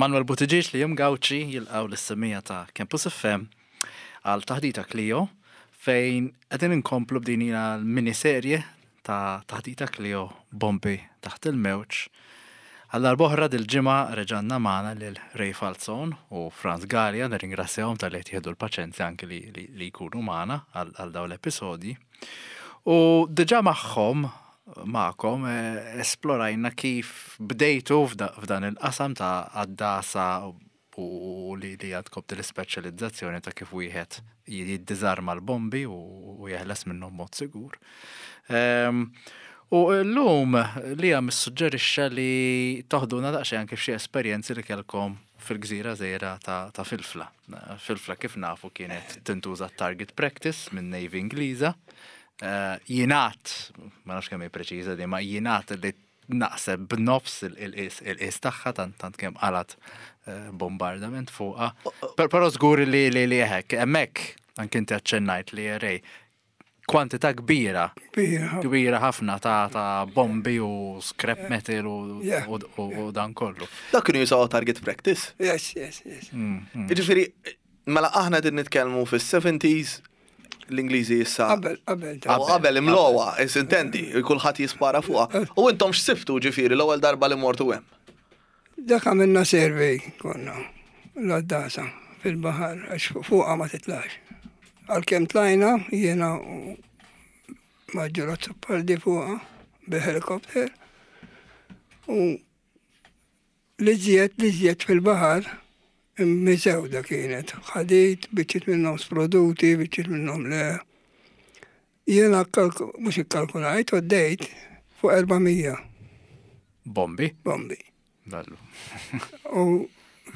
Emanuel Buttigieg li jum Gauci jilqgħu lis-semmiegħa ta' Campus FM għal Taħdita Clio fejn qegħdin inkomplu b'din hija l-miniserje ta' Taħdita Clio Bombi taħt il-mewġ. Għal darb'oħra dil-ġimgħa reġgħanna magħna lil Ray Falzon u Frans Galea, nirringrazzjahom talli qed jieħdu l-paċenzja anki li, li, li jkunu magħna għal dawn l-episodji. U diġà magħhom magħkom eh, esplorajna kif bdejtu f'dan il-qasam ta' għaddasa u li li għandkom din l-ispeċjalizzazzjoni ta' kif wieħed jiddiżarma l-bombi u jeħles minnhom mod sigur. Ehm, u llum li għam issuġġerixxa li toħduna daqsxejn anke f'xi esperjenzi li kellkom fil-gżira żgħira ta' Filfla. Filfla kif nafu kienet tintuża target practice minn Navy Ingliża. Eh, jingħad, ma nafx kemm hi preċiża di, ma jingħad li naqset b'nofs il-qies tagħha tant tant kemm qalat eh, bombardament fuqha. Però żgur li li li hekk hemmhekk anke inti aċċennajt li rej kwantità kbira kbira ħafna ta' ta' bombi u scrap metal u dan kollu. Dak kienu jużaw target practice. Yes, yes, yes. Mm, mm. Jiġifieri, mela aħna qegħdin nitkellmu fis-70s l-Ingliżi issa. Qabel, qabel. U qabel imlowa, intendi, kulħadd jispara fuqha. U intom x'sibtu ġifieri l-ewwel darba li mortu hemm? Dak għamilna survey konna l-għaddasa fil-baħar għax fuqha ma titlax. Għalkemm tlajna jiena u Maġġor Azzopardi fuqha bil-helikopter u L-iżjed, l-iżjed fil-baħar miżewda kienet. Ħadid, biċċiet minnhom sproduti, biċċiet minnhom le. Jiena mhux ikkalkulajt, għoddejt fuq 400. Bombi? Bombi. Dallu. U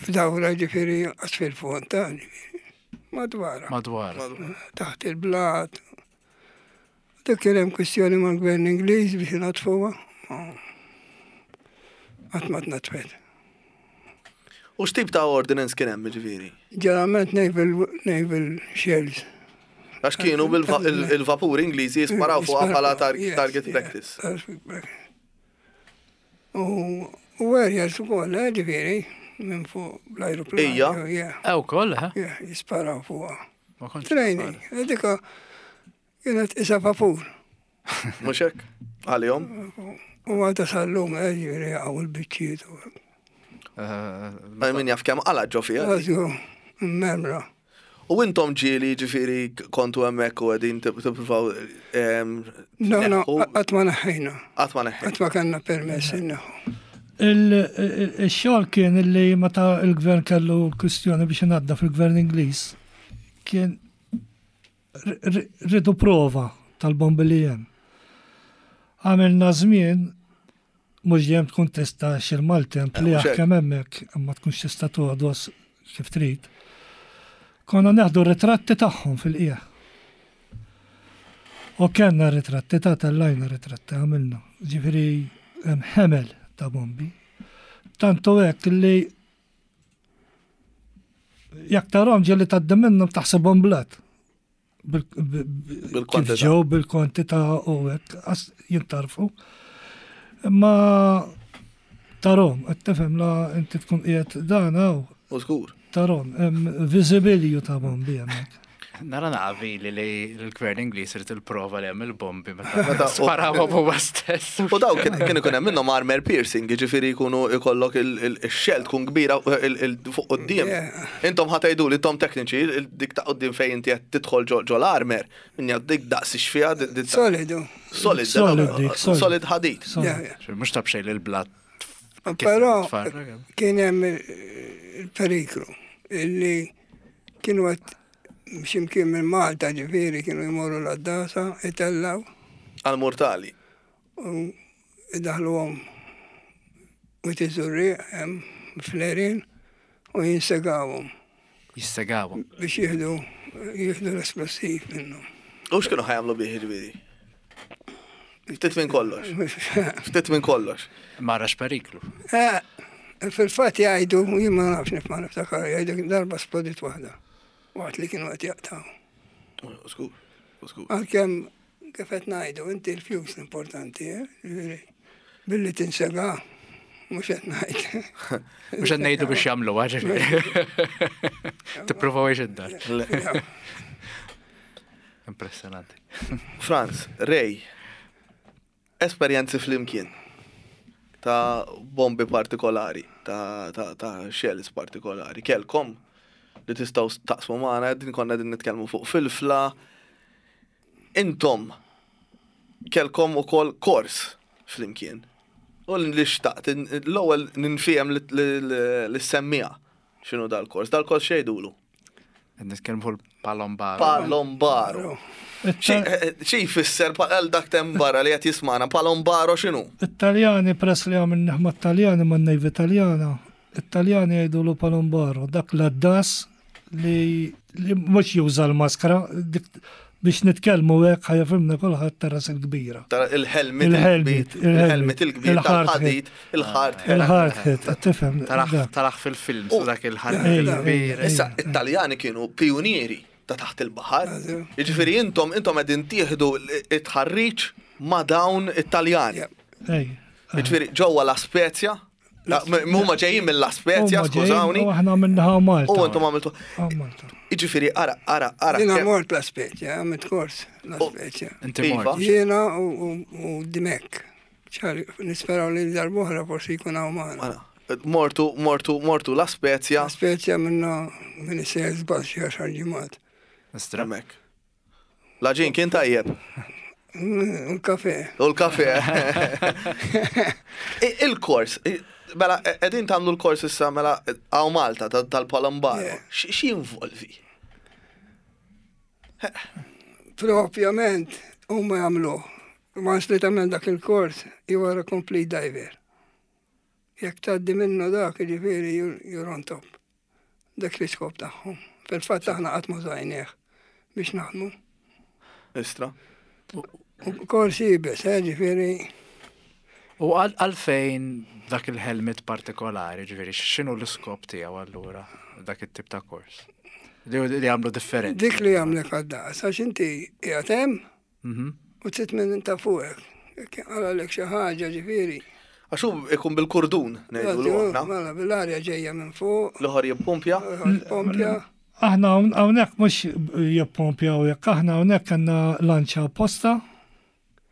f'dawra ġifieri qas fil-fond ta' ġifieri. Madwar. Madwar. Taħt il-blat. Dak kien hemm kwistjoni mal-gvern Ingliż biex inaddfuha. Qatt ma tnaddfet. U x'tip ta' ordinance kien hemm ġifieri? Ġeneralment naval, naval shells. Għax kienu bil-vapuri Ingliżi jisparaw fuqha bħala target practice. U aerials ukoll, eh, ġifieri, minn fuq bl-ajruplan. Ija. Eh, ukoll, eh? Jisparaw fuqha. Training, eh, dika kienet isa vapur. Mhux hekk? Għalihom? U għadha sal-lum, eh, ġifieri għaw il-biċċiet. Eh, min jaf kemm qala ġo fiha. Memra. U intom ġieli ġifieri kontu hemmhekk u qegħdin tippruvaw No, no, qatt ma neħħejna. Qatt ma neħħejna. Qatt ma kellna permess inneħħu. Il-xogħol kien li meta l-gvern kellu l-kwistjoni biex inaddaf il-gvern Ingliż kien ridu prova tal-bombi li hemm. Għamilna żmien mhux dejjem tkun tista' xil-maltemp li eh, jaħkem hemmhekk imma tkunx tista' toqgħodos kif trid. Konna neħdu ritratti tagħhom fil-qiegħ. U kellna ritratti ta' tellajna ritratti għamilna. Ġifieri hemm ħemel ta' bombi. Tantu hekk li jekk tarhom ġieli tgħaddi minnhom taħsibhom blat. Bil-kwantità. Ġew bil-kwantità u hekk jintarfu. Imma tarhom, qed tifhem la inti tkun qiegħed dan hawn. U żgur. Tarhom, hemm viżibilju ta' bombi hemmhekk. Nara naqavi li li l-gvern Ingliż irid il-prova li hemm il-bombi meta sparawhom huwa stess. U daw kien ikun hemm minnhom armor piercing, jiġifieri jkunu jkollok il-xell tkun kbira fuq quddiem. Intom ħa tgħidu li intom tekniċi, dik ta' quddiem fejn inti qed tidħol ġo l-armor, minja dik daqs x'fiha. Solidu. Solid, solid ħadid. Mhux ta' b'xejn li l-blat. Però kien hemm il-periklu illi Kienu qed x'imkien minn Malta ġifieri kienu jmorru l-għaddasa, itellaw. Għall-murtali. U idaħluhom Wied iż-Żurrieq hemm fl-għerien u jinsegawhom. Jissegawhom. Biex jieħdu jieħdu l-esplosiv minnhom. U x'kienu ħa jagħmlu bih jiġifieri? Ftit minn kollox. Ftit minn kollox. Marax periklu. Eh, fil-fatt jgħidu, jien ma nafx nif ma niftakar, jgħidu darba splodit waħda. Waqt li kienu qed jaqtaw. Skur, skur. Għalkemm kif qed ngħidu, inti l-fjus l-importanti, eh? Billi tinsega. Mhux qed ngħid. Mhux qed ngħidu biex jagħmlu ġifieri. Tippruvaw id-dar. Impressjonanti. Franz, Ray, esperjenzi flimkien ta' bombi partikolari, ta', ta, ta shells partikolari. Kelkom li tistgħu taqsmu magħna, din konna din nitkellmu fuq filfla. Intom kelkom ukoll kors flimkien. U li xtaqt, l-ewwel ninfiem li semmija x'inhu dal-kors. Dal-kors xejdulu? Qed nitkellmu fuq il-Palombaro. Palombaro. Xi jfisser għal dak tem barra li qed jismana, Palombaro x'inhu? It-Taljani press li għamilnih mat-Taljani man-Navy Taljana, it-Taljani jgħidulu Palombaro, dak l-għaddas li li mhux juża l-maskra, dik biex nitkellmu hekk ħa jifhimna kulħadd ta' ras il-kbira. Tara il-helmet Il-helmet, il-helmet il-kbir il-hard tal-ħadid, il-hard hat. Il-hard hat, tifhem. Taraħ dak. taraħ fil-film, su dak il-ħarb Ejja, il-kbir. ejja. Issa, it-Taljani kienu pionieri ta' taħt il-baħar. Jiġifieri intom intom qegħdin tieħdu it-tħarriġ ma' dawn it-Taljani. Ej. Jiġifieri ġewwa La Spezia, huma ġejjin mill-La Spezia, Huma ġejjin skużawni. U aħna minnaħa Malta. U intom għamiltu. Ah, Malta. Jiġifieri ara ara ara. Jiena kemm- mort La Spezia, għamilt kors La Spezia. Inti Iva. mort. Jiena u- u u Dimek. ċar, nisperaw li darbohra forsi jkun hawn magħna. Ara, Mortu, mortu, mortu La Spezia. La Spezia minna minn isejjer żball xi għaxar ġimgħat. Istra. Hemmhekk. L-għaġin kien tajjeb. U l-kafe. U l-kafe. I- Il-kors, i- mela, edin tamlu l-kors issa, mela, għaw Malta, ta- tal-Palombaro. Yeah. Xi involvi? Propjament huma jagħmluh. Once li tagħmel dak il-kors, you are a complete diver. Jekk tgħaddi minnu dak, jiġifieri you're you're on top. Dak l-iskop tagħhom. Fil-fatt aħna qatt ma żajnieh biex naħdmu. Istra. U kors iebes, eh, ġifieri U għal- għalfejn dak il-helmet partikolari, ġifieri, x'inhu l-iskop tiegħu allura dak it-tip ta' kors? Li li għamlu differenti. dik li jagħmlek għad-daqs, għax inti qiegħed hemm u trid minn ta' fuqek. Jekk għalek xi ħaġa ġifieri. Għax hu ikun bil-kurdun, ngħidu l aħna. Mela bil-arja ġejja minn fuq, L-oħor jippumpja. pompja. Aħna hawn- hawnhekk mhux jippompjaw jekk aħna hawnhekk kellna lanċa apposta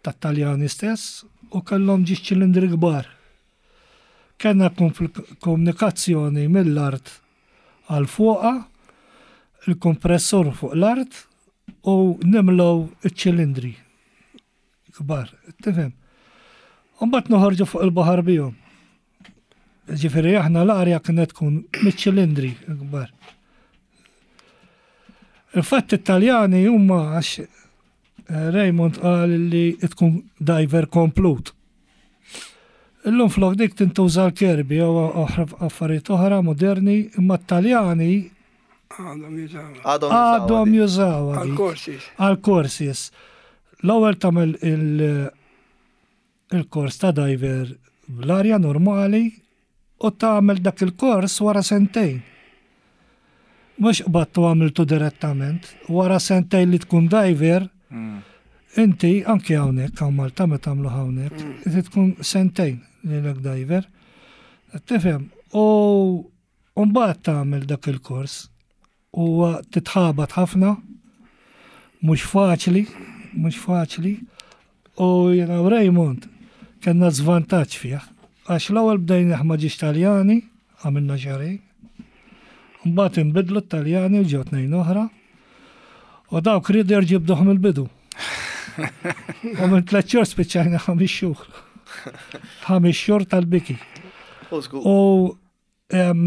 tat-Taljani stess u kellhom ġiex ċilindri kbar. Kellna komunikazzjoni mill-art għal fuqa, il-kompressur fuq l-art u nimlow iċ-ċilindri kbar, tifhem. U mbagħad noħorġu fuq il-baħar bihom. Ġifieri aħna l-arja kienet tkun miċ-ċilindri kbar. Il-fatt it-Taljani huma għax eh, Raymond qal li tkun diver komplut. Illum flok dik tintuża l-kerbi jew oħra affarijiet oħra moderni, imma t-Taljani Għadhom jużaw. Għadhom għadhom jużawha dik. Għal-korsis. Għal-korsis. L-ewwel tagħmel il- il-kors ta' diver bl-arja normali u tagħmel dak il-kors wara sentejn. Mhux qbattu għamiltu direttament, wara sentejn li tkun diver, inti anki hawnhekk hawn Malta meta tagħmlu hawnhekk, inti tkun sentejn lilek diver. Tifhem, u mbagħad tagħmel dak il-kors u titħabat ħafna, mhux faċli, mhux faċli. U jiena u Raymond kellna żvantaġġ fih. Għax l-ewwel bdejna ma ġiex Taljani, għamilna xahrejn. Mbagħad inbidlu t-Taljani u ġew tnejn oħra. U dawk riedu jerġibduhom il-bidu. U minn tliet xhur spiċċajna ħames xhur. Ħames xhur tal-biki. U em,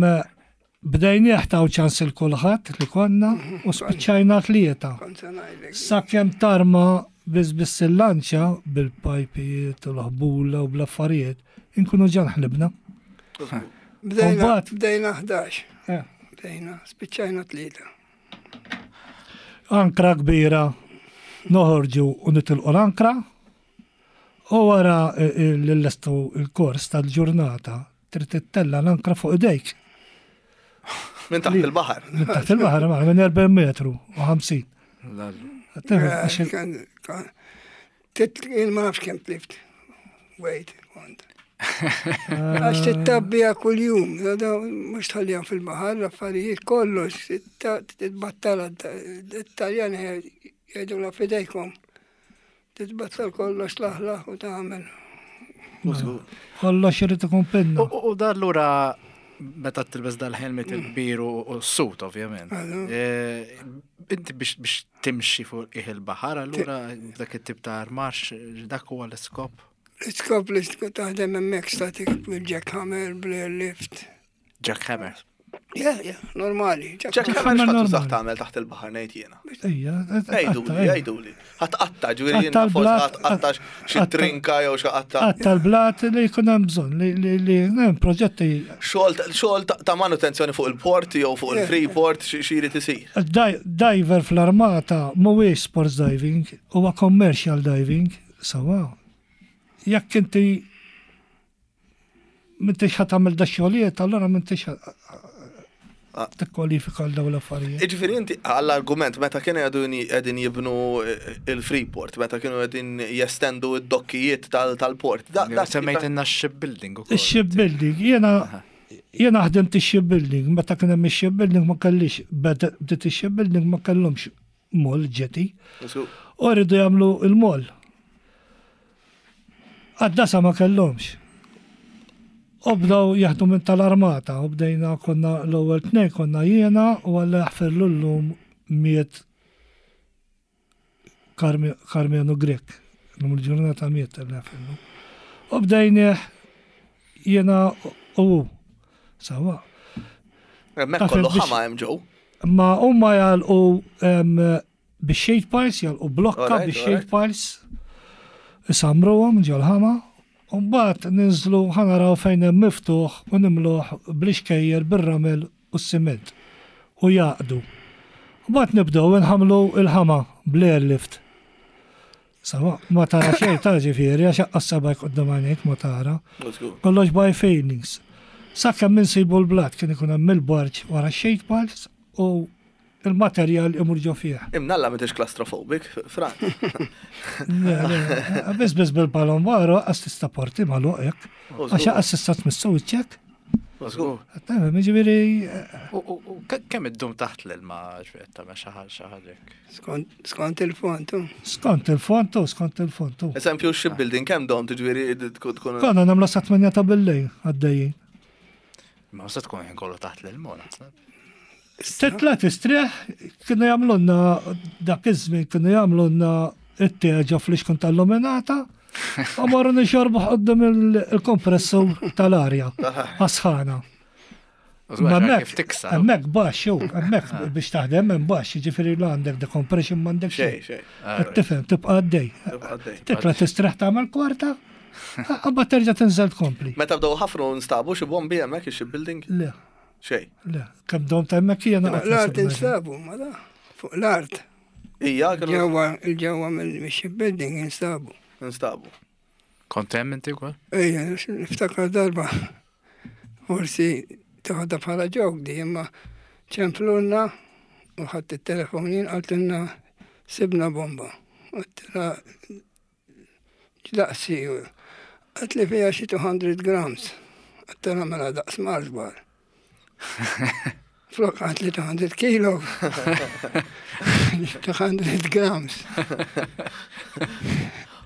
bdejnieh taw ċans il kulħadd li konna u spiċċajna tlieta. Kont se ngħidlek. Sakemm tarma biss biss il-lanċa bil-pajpijiet u l-ħbula u bl-affarijiet, inkunu ġan ħlibna. Bdejna Mbagħad- bdejna 11. Eh. Bdejna, spiċċajna tlieta. Ankra kbira noħorġu u nitilqu l-ankra u wara l-lestu il-kors tal-ġurnata trid tittella l-ankra fuq idejk. Minn taħt il-baħar. Minn taħt il-baħar ma' minn 40 metru u 50. Tifhem, Eh, għax il- Kan- kan- Tit jien ma nafx kemm tlift. Wait, kont. Għax tittabbija kull-jum, mux tħallija fil-bahar, l-affarijiet kollox, titbattala, it-Taljan jgħidu la fidejkom. Titbattal kollox laħlaħ u tagħmel. Kollox irid ikun pinna. U da allura meta tilbes dal-helmet il-kbir u s-sut ovvjament. Eh, inti biex timxi fuq iħ il-baħar allura dak it-tip ta' armax dak huwa l-iskop? L-iskop li taħdem hemmhekk statik bil-jackhammer, bl-airlift. Jackhammer. Yeah, yeah, normali. Jackhammer x'ħadd tużah tagħmel taħt il-baħar ngħid jiena. Ejja, Għiduli, għiduli. Ħadd qatta, ġifieri jiena forsi ħadd qatta xi trinka jew xi qatta. Qatta l-blat li jkun hemm bżonn li hemm proġetti. Xogħol ta' manutenzjoni fuq il-port jew fuq il-freeport xi jrid isir. Diver fl-armata mhuwiex sports diving, huwa commercial diving, sewwa. Jekk inti M'intix ħa tagħmel da xogħlijiet, allura m'intix ah. tikkwalifika għal dawn l-affarijiet. Jiġifieri inti għall-argument meta kienu qegħdin jibnu eh, il-Freeport, meta kienu qegħdin jestendu d-dokkijiet tal-port. Semmejt shipbuilding ukoll. Ix-shipbuilding, jiena jiena ħdimt ix-shipbuilding, meta kien hemm ix-shipbuilding ma kellix bdiet ix-shipbuilding ma kellhomx moll ġeti. U rridu jagħmlu il-moll. Għad-dasa ma kellhomx. U bdew jaħdmu minn tal-armata u bdejna konna l-ewwel tnejn konna jiena u Alla jaħfirlu llum miet Karmenu Grech. Illum il-ġurnata miet Alla jaħfirlu. U bdejnieh jiena u hu. Sawa. Hemmhekk kollu ħama hemm ġew. Ma huma jagħlqu Bix-shade piles, jagħlqu blokka bix-shade piles, isamruhom ġol-ħama, u mbagħad ninżlu ħa naraw fejn hemm miftuħ u nimluh bl-ixkejjer bir-ramel u s-siment u jgħaqqdu. Mbagħad nibdew inħammlu l-ħama bl-airlift. Sawa, ma tara xejn ta' ġifieri għax aqqas sebgħek quddiem għajnejk ma tara. Kollox by feelings. Sakemm insibu l-blat kien ikun hemm il-barġ wara x-shade piles u Il-materjal imur ġo fih. Imnalla m'intix claustrophobic, Fran. Le, le, biss biss bil-palombaro għas tista' porti magħluq hekk. Għax għas tista' tmissu wiċċek. Żgur. Tafhem, jiġifieri. U kemm iddum taħt l-ilma ġifieri tagħmel xi ħaġa hekk? Skont il-font. Skont il-font, skont il-font. Eżempju, shipbuilding kemm dom tiġifieri tkun. Konna nagħmlu sa 8 ta' billejl għaddejjin. Ma se tkun ħin kollu taħt l-ilma naħseb. Titla' tistrieħ, kienu jagħmlulna dak iż-żmien kienu jagħmlulna it-te ġo flixkun tal-luminata u morru nixorbu quddiem il-kompressur tal-arja għas-sħana. Hemmhekk hemmhekk baxx hu, hemmhekk ah. biex taħdem hemm baxx, jiġifieri la għandek decompression m'għandek xejn. Xejn. Ah, tifhem, tibqa' għaddej. Titla' tistrieħ tagħmel kwarta, qabad terġa' tinżel tkompli. Meta bdew ħafru nstabu xi bombi hemmhekk ix-shipbuilding? Le. Xejn. Le, kemm dom ta' hemmhekk jiena. Fuq l-art instabu, ma da. Fuq l-art. Ija, Ġewwa, il-ġewwa mill-shipbuilding instabu. Instabu. Kont hemm inti wkoll? Ejja, niftakar darba. Forsi toħodha bħala ġok di, imma ċemplulna u ħadd it-telefon jien qaltilna sibna bomba. Għedtilha X'daqs hi? Qaltli fiha xi 200 grams. Għedtilha mela daqs Mars bar. Flok qaltli 200 kilo. 200 grams.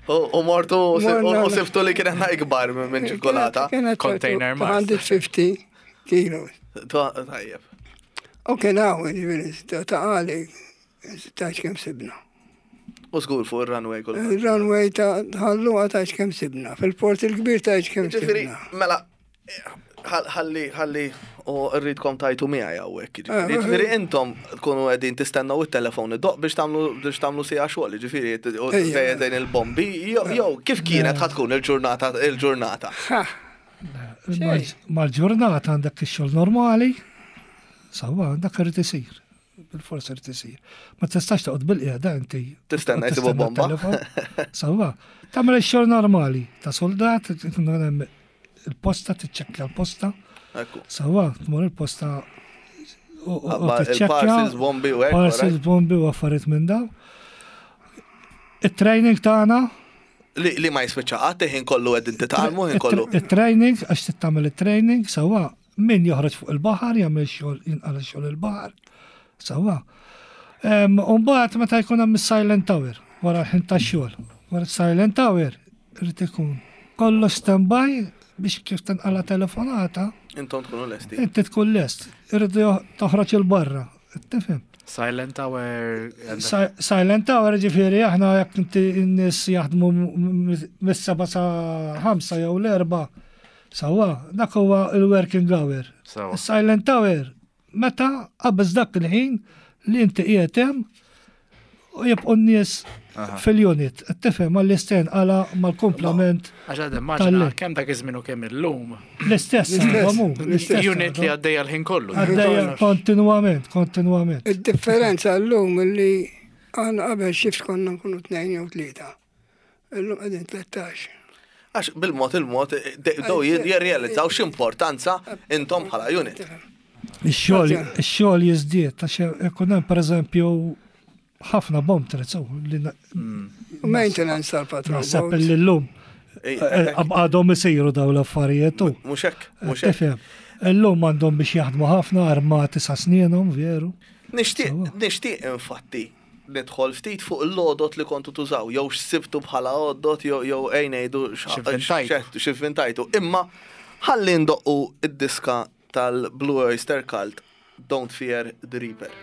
U mortu u siftu li kienet ikbar minn ċokolata. Container Mars. 250 kilo. Tajjeb. U kien hawn, ġifieri, ta' għali, ta' kemm sibna. U żgur fuq ir-runway kull. Il-runway ta' ħalluqa ta' kemm sibna, fil-port il-kbir ta' kemm sibna. Mela, ħalli, ħalli, u rridkom tajtu miegħi hawnhekk. Eh, ġifieri eh. intom tkunu qegħdin tistennew it-telefon id-doq biex tagħmlu biex tagħmlu sija xogħol, ġifieri dejn il-bombi, jew kif kienet ħad tkun il-ġurnata il-ġurnata. Mal-ġurnata għandek ix-xogħol normali, sawa dak irid isir. Bil-fors irid isir. Ma tistax toqgħod bil-qiegħda inti. Tistenna jsibu bomba. Sawa, tagħmel ix-xogħol normali ta' soldat, il-posta tiċċekkja l-posta. Sawa, tmur il-posta u tiċċekkja. Parcels bombi u hekk. Parcels bombi u affarijiet minn daw. It-training tagħna. Li ma jispiċċa qatt, ħin kollu qegħdin titgħallmu, ħin kollu. Il-training, għax trid tagħmel it-training, sewwa min joħroġ fuq il-baħar, jagħmel xogħol jinqala xogħol il-baħar. Sewwa. U mbagħad meta jkun hemm is-silent tower wara l-ħin tax-xogħol. Wara silent tower irid ikun kollox standby biex kif tinqala telefonata. Intom tkunu lesti. Inti tkun lest. Irridu toħroġ il-barra. Tifhem? Silent Tower. Silent Tower ġifieri aħna jekk inti n-nies jaħdmu mis-7 sa 5 jew l-4 sewwa, dak huwa il-working hour. Silent Tower meta qabeż dak il-ħin li inti qiegħed hemm u jibqgħu n-nies fil-unit. Tifhem għall-istejn għala mal-kumplament. Għax għad immaġina kemm dak iż-żmien u kemm illum. L-istess, l-istess. Unit li għaddejja l-ħin kollu. Għaddejja kontinwament, kontinwament. Id-differenza llum li aħna qabel xift konna nkunu tnejn jew tlieta. Illum qegħdin 13. Għax bil-mod il-mod bdew jirrealizzaw x'importanza intom bħala unit. Ix-xogħol ix-xogħol jiżdied għax ikun hemm pereżempju ħafna bomb threats li Maintenance tal-patrol. Naħseb li llum għadhom isiru dawn l-affarijiet. Mhux hekk, mhux hekk. Illum għandhom biex jaħdmu ħafna armati sa snienhom, veru. Nixtieq, nixtieq infatti nidħol ftit fuq l-għodod li kontu tużaw, jew x'sibtu bħala għodod, jew ejn ngħidu x'ivvintajtu. Imma ħalli ndoqqu d-diska tal-Blue Oyster Cult Don't Fear the Reaper.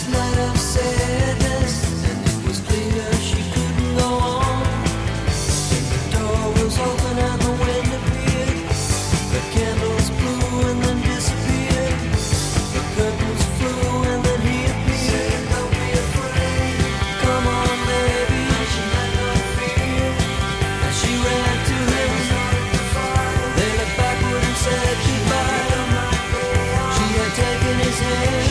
this night of sadness, and it was clear she couldn't go on. And the door was open and the wind appeared. The candles blew and then disappeared. The curtains flew and then he appeared. Don't be afraid. Come on, baby. She had no fear. And she ran to him. They looked backward and said goodbye. She had taken his hand.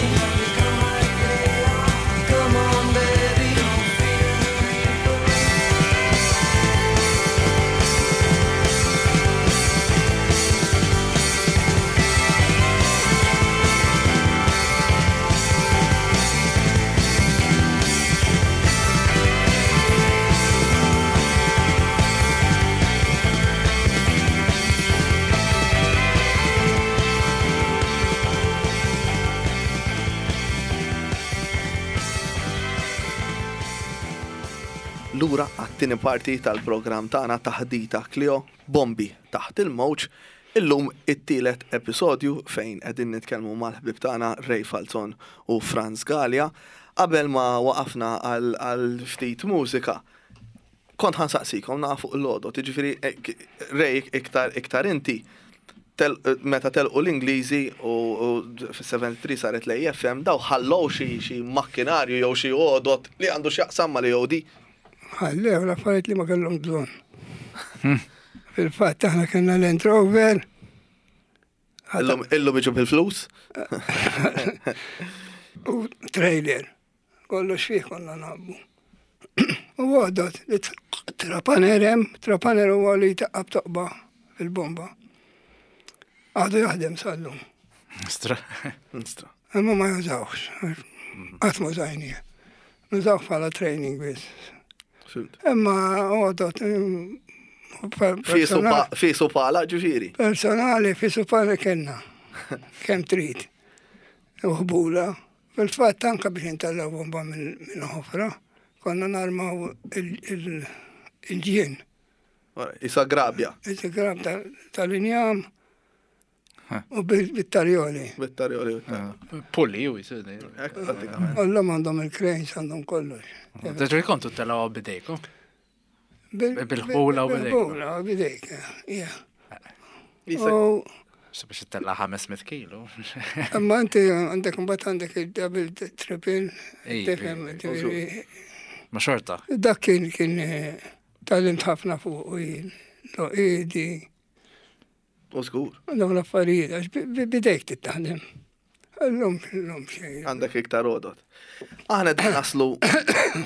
Come on, baby. Don't fear the reaper. Lura għat-tieni parti tal-programm tagħna Taħdita Clio, Bombi taħt il-mewġ. Illum it-tielet episodju fejn qegħdin nitkellmu mal-ħbieb tagħna Ray Falzon u Franz Galea. Qabel ma waqafna għal ftit mużika, kont ħa nsaqsikom naqa' fuq l-għodod, jiġifieri Ray iktar iktar inti meta telqu l-Ingliżi u fis-73 saret l-AFM daw ħallew xi makkinarju jew xi għodod li għandu x'jaqsam mal-EOD? Ħallew l-affarijiet li ma kellhom bżonn. Fil-fatt aħna kellna Land Rover. Illum iġu bil-flus? U trailer. Kollox fih konna nabbu. U għodot, trapaner hemm, trapaner huwa li taqqab toqba fil-bomba. Għadu jaħdem sal-lum. Stra. Stra. Imma ma jużawx. Qatt ma użajnieh. Nużawh bħala training biss. Imma għodot. Fisu pala ġifieri. Personali, fisu pala kellna. Kemm trid. Uħbula. Fil-fatt anka biex intellgħu bomba minn ħofra, konna narmaw il-ġien. Isa grabja. Isa grabja tal-injam u bit-tarjoli. Bit-tarjoli. Pulli u jisir. Kollhom għandhom il-cranes għandhom kollox. Ġifieri kontu telgħu bidejkom? Bil-ħbula u bidejk. Bil-ħbula u bidejk, yeah. Biex tella 500 kilo. Imma inti għandek mbagħad għandek il-double, triple, tifhem, ġifieri. Ma xorta. Dak kien kien tgħallimt ħafna fuq u jien. Idi. U żgur. Dawn l-affarijiet, għax bidejk titaħdem. Illum, illum xejn. Għandek iktar għodod. Aħna qegħdin naslu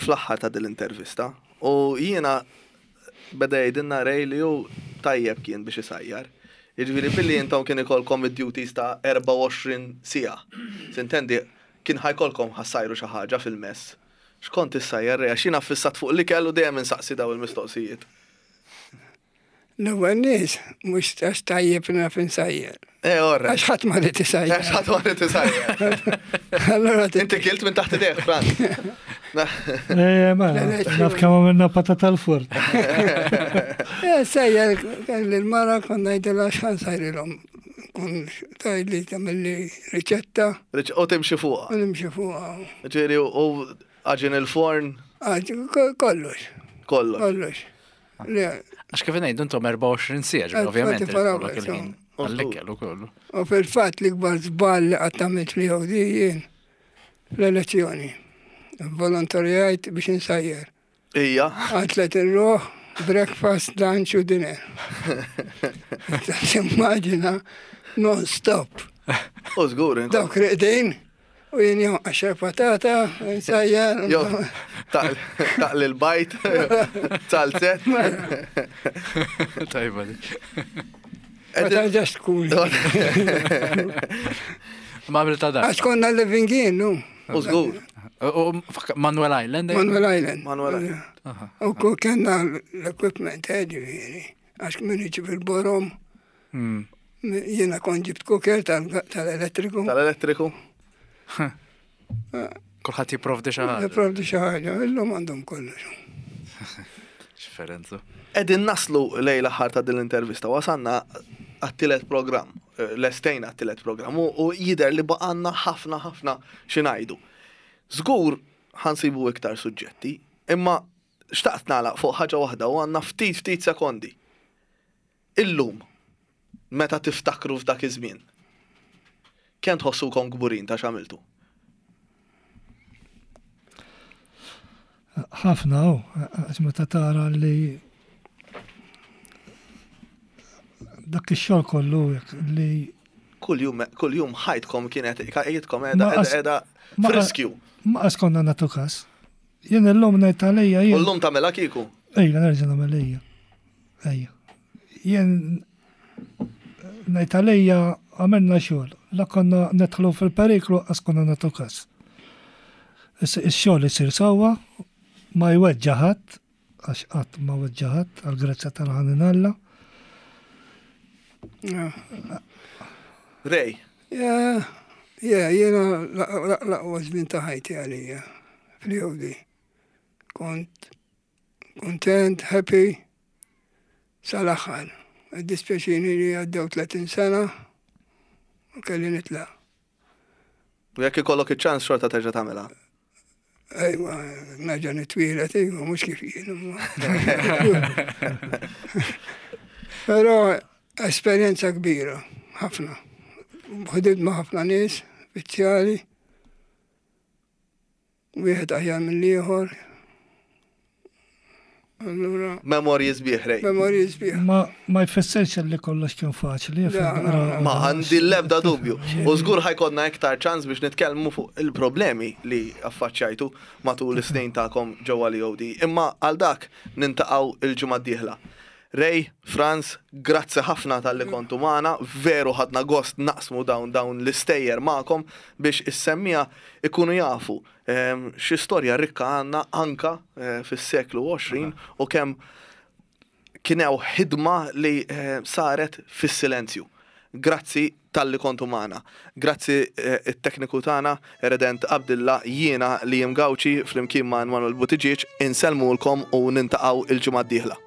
fl-aħħar ta' dil-intervista u jiena beda jgħidilna Ray li hu tajjeb kien biex isajjar. Jiġifieri billi intom kien ikolkom id-duties ta' 24 siegħa. Sintendi kien ħa jkollkom ħa ssajru xi ħaġa fil-mess. X'kont issajjar Ray? Għax jiena ffissat fuq l-ikel u dejjem insaqsi daw il-mistoqsijiet. L-ewwel nies mhux għax tajjeb naf insajjer. Eh, orra. Għax ħadd ma rid isajjer. Għax ħadd ma rid isajjer. Allora Inti kilt minn taħt idejh, Franz. Eh, ma, naf kemm għamilna patata l-forn. Eh, sejjer kelli l-mara konna ngħidilha x'ħan sajrilhom. Kun tgħidli tagħmilli riċetta. U timxi fuqha. U nimxi fuqha. Ġieri u għaġin il-forn. Kollox. Kollox. Kollox. Għax kif ngħidu intom 24 siegħa, ġifieri ovvjament ikollok il-ħin għall-ikel ukoll. U fil-fatt l-ikbar żball li qatt għamilt li di jien l-elezzjoni. Volontarjajt biex insajjer. Ija. Għatlet il-ruħ, breakfast, lunch u dinner. Timmaġina non-stop. U żgur. Dawk reqdin. U jien jew għaxar patata, nsajjar. Jo, taqli l-bajt, salzet. Tajba di. Ma tarġax tkun. Ma għamil ta' dak. Għax konna living in, nu. U żgur. Manuel Island. Eh? Manuel Island. Manuel Island. U kellna l-equipment, eh, ġifieri. Għax minn iġib il-borom. Hmm. Jiena kont ġibt cooker tal-elettriku. Tal-elettriku. Kulħadd jipprovdi xi ħaġa. Jipprovdi xi ħaġa, illum għandhom kollox. X'ferenza. Qegħdin naslu lejn l-aħħar ta' din l-intervista, wasalna għat-tielet programm, eh, lestejna għat-tielet programm u jidher li baqanna ħafna ħafna xi ngħidu. Żgur ħa nsibu iktar suġġetti, imma xtaqt nagħlaq fuq ħaġa waħda u għandna ftit ftit sekondi. Illum, meta tiftakru f'dak iż-żmien, kemm tħossukom kburin ta' x'għamiltu? Ħafna, u, għax meta tara li dak ix-xogħol kollu li kull jum kull jum ħajtkom kienet ħajtkom qiegħda qiegħda f'riskju. Ma qas konna nagħtu każ. Jien illum ngħid għalija jien. U llum tagħmilha kieku? Ejja, nerġa' nagħmel ejja. Ejja. Jien ngħid għalija għamilna xogħol. La konna nedħlu fil-periklu qas konna nagħtu każ. Ix-xogħol isir sewwa, ma jweġġa' ħadd, għax qatt ma weġġa' ħadd għall-grazzja tal-ħanin Alla. Ray. Yeah, yeah, jiena l-aqwa żmien ta' ħajti għalija fl-EOD. Kont kuntent, happy, sal-aħħar. Iddispjaċini li għaddew 30 sena u kelli nitlaq. U jekk ikollok iċ-ċans xorta terġa' tagħmilha? Ejwa, nerġa' nitwielet, ejwa, mhux kif jien. Però esperjenza kbira, ħafna. Ħdimt ma' ħafna nies, uffiċjali, Wieħed aħjar mill-ieħor. Allura. Memorji sbieħ, Ray. Memorji sbieħ. Ma, ma jfissirx li kollox kien faċli. Ma għandi l-ebda dubju. U żgur ħajkonna iktar ċans biex nitkellmu fuq il-problemi li affaċċajtu matul is-snin tagħkom ġewwa l-EOD. Imma għal dak nintaqgħu il-ġimgħa d-dieħla. Ray, Frans, grazzi ħafna talli kontu magħna, veru ħadna gost naqsmu dawn dawn l-istejjer magħkom biex is-semmiegħa ikunu jafu xi storja rikka għandna anka fis-seklu 20 u kemm kien hawn ħidma li saret fis-silenzju. Grazzi talli kontu magħna. Grazzi it-tekniku tagħna, Redent Abdilla, jiena Liam Gauci flimkien ma' Manuel Buttigieg, insellmulkom u nintaqgħu il-ġimgħa d-dieħla.